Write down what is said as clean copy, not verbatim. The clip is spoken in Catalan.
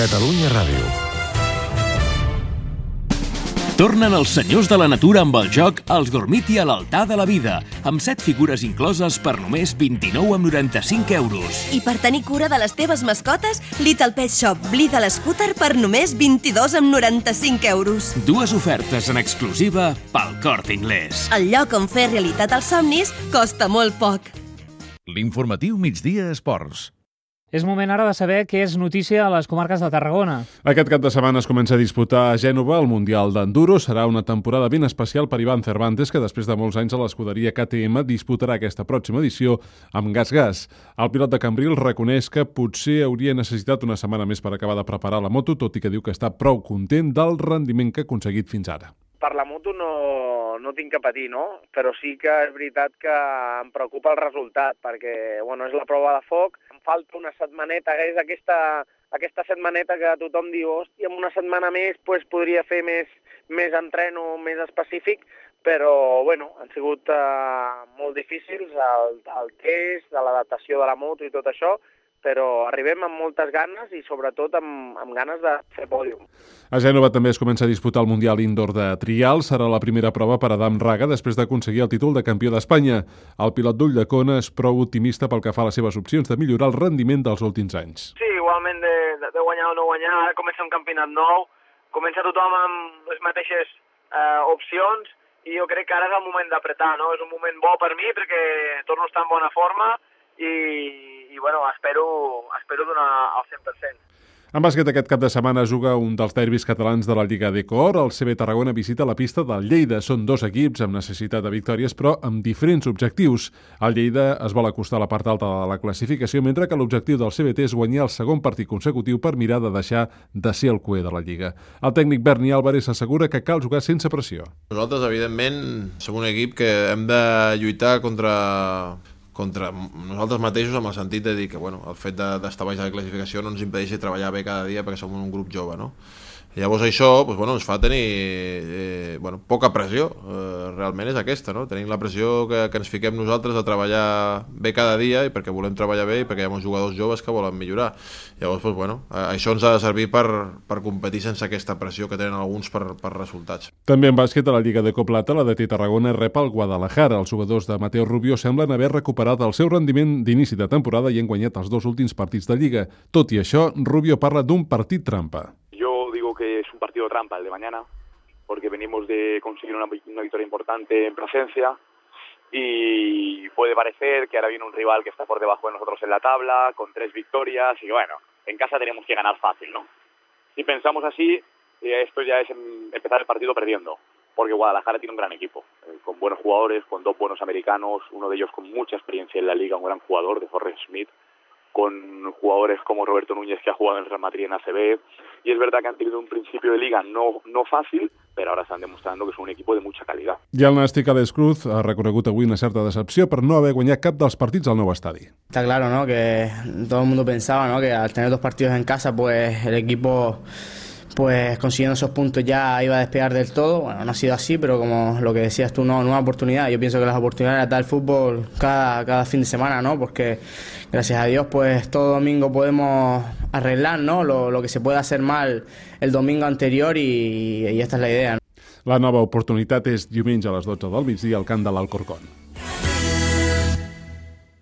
Catalunya Ràdio. Tornen els senyors de la natura amb el joc Els Gormiti a l'altar de la vida, amb 7 figures incloses per només 29,95 euros. I per tenir cura de les teves mascotes, Little Pet Shop Blida l'Scooter per només 22,95 euros. 2 ofertes en exclusiva pel Corte Inglés. El lloc on fer realitat els somnis costa molt poc. L'informatiu Migdia Esports. És moment ara de saber què és notícia a les comarques de Tarragona. Aquest cap de setmana es comença a disputar a Gènova el Mundial d'Enduro. Serà una temporada ben especial per Ivan Cervantes, que després de molts anys a l'escuderia KTM disputarà aquesta pròxima edició amb gas. El pilot de Cambrils reconeix que potser hauria necessitat una setmana més per acabar de preparar la moto, tot i que diu que està prou content del rendiment que ha aconseguit fins ara. Per la moto no tinc que patir, no? Però sí que és veritat que em preocupa el resultat, perquè és la prova de foc. Em falta una setmaneta, que és aquesta setmaneta que tothom diu, hòstia, amb una setmana més podria fer més entreno, més específic, però han sigut molt difícils el test, de l'adaptació de la moto i tot això, però arribem amb moltes ganes i sobretot amb ganes de fer pòdium. A Gènova també es comença a disputar el Mundial Indoor de Trial. Serà la primera prova per Adam Raga després d'aconseguir el títol de campió d'Espanya. El pilot d'Ulldecona és prou optimista pel que fa a les seves opcions de millorar el rendiment dels últims anys. Sí, igualment de guanyar o no guanyar, ara comença un campionat nou, comença tothom amb les mateixes opcions i jo crec que ara és el moment d'apretar, no? És un moment bo per mi perquè torno a estar en bona forma i espero donar el 100%. En bàsquet, aquest cap de setmana juga un dels derbis catalans de la Lliga d'Ecor. El CB Tarragona visita la pista del Lleida. Són 2 equips amb necessitat de victòries, però amb diferents objectius. El Lleida es vol acostar a la part alta de la classificació, mentre que l'objectiu del CBT és guanyar el segon partit consecutiu per mirar de deixar de ser el cuer de la Lliga. El tècnic Berni Álvarez assegura que cal jugar sense pressió. Nosaltres, evidentment, som un equip que hem de lluitar contra nosaltres mateixos, amb el sentit de dir que el fet d'estar baix de la classificació no ens impedeixi treballar bé cada dia perquè som un grup jove, no? Llavors això ens fa tenir poca pressió, realment és aquesta, no? Tenim la pressió que ens fiquem nosaltres de treballar bé cada dia i perquè volem treballar bé i perquè hi ha molts jugadors joves que volen millorar. Llavors, això ens ha de servir per competir sense aquesta pressió que tenen alguns per resultats. També en bàsquet, a la Lliga de Coplata, la DT Tarragona rep el Guadalajara. Els jugadors de Mateo Rubio semblen haver recuperat el seu rendiment d'inici de temporada i han guanyat els 2 últims partits de Lliga. Tot i això, Rubio parla d'un partit trampa. Que es un partido trampa el de mañana, porque venimos de conseguir una victoria importante en Plasencia y puede parecer que ahora viene un rival que está por debajo de nosotros en la tabla, con 3 victorias, y en casa tenemos que ganar fácil, ¿no? Si pensamos así, esto ya es empezar el partido perdiendo, porque Guadalajara tiene un gran equipo, con buenos jugadores, con 2 buenos americanos, uno de ellos con mucha experiencia en la liga, un gran jugador de Forrest Smith, con jugadores como Roberto Núñez, que ha jugado en el Real Madrid en ACB, y es verdad que han tenido un principio de liga no fàcil, però ara estan demostrant que és un equip de mucha calidad. I el nàstic Alex Cruz ha reconegut avui una certa decepció per no haver guanyat cap dels partits al nou estadi. Está claro, ¿no?, que todo el mundo pensaba, ¿no?, que al tener 2 partidos en casa, pues el equipo consiguiendo esos puntos ya iba a despegar del todo. No ha sido así, pero como lo que decías tú, no, una oportunidad. Yo pienso que las oportunidades las da el fútbol cada fin de semana, ¿no? Porque gracias a Dios todo domingo podemos arreglar, ¿no?, lo que se puede hacer mal el domingo anterior y esta es la idea, ¿no? La nova oportunitat és diumenge a les 12 del migdia al camp de l'Alcorcón.